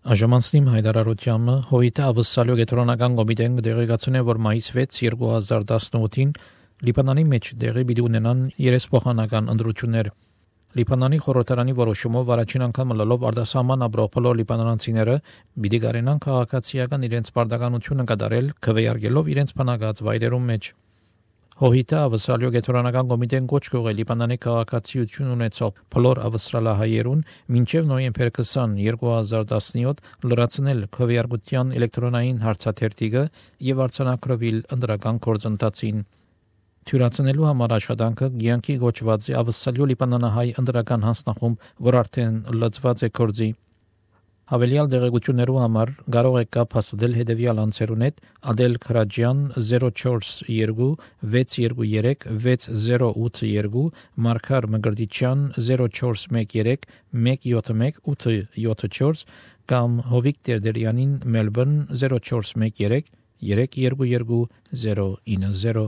Աժամանցնիմ հայտարարությամբ հովիտը ավսալյո գետրոնական կոմիտեն դեղեկացնում է, որ մայիս 6 2018-ին Լիբանանի մեջ տեղի պիտի ունենան երեսփոխանական ընտրություններ։ Լիբանանի խորհրդարանի որոշումով առաջին անգամ լալով արտասահման ապրող բոլոր լիբանանցիները պիտի կարենան քաղաքացիական իրենց պարտականությունը կատարել, քվեարկելով իրենց բնակած վայրերում մեջ։ Հովիտը ավսալյո գետրոնական կոմիտեն կոչ կողել Լիբանանի քաղաքացիություն ունեցող բոլոր ավստրալահայերուն մինչև նոյեմբեր 20, 2017 լրացնել քվեարկության էլեկտրոնային հարցաթերթիկը եւ արձանագրվել ընտրական գործընթացին։ Թյուրացնելու համար աշխատանքը ցանկի գոչված է ավսալյո լիբանանահայ ընտրական հանձնախումբ, որ արդեն լծված է գործի։ Հավելյալ դեղեցություններու համար կարող եք կապ հաստատել հետևյալ անձերուն հետ՝ Ադել Քրաջյան 042 623 6082, Մարգար Մգրտիչյան 0413 171 874 կամ Հովիկ Տերդերյանին Մելբուրն 0413 322 090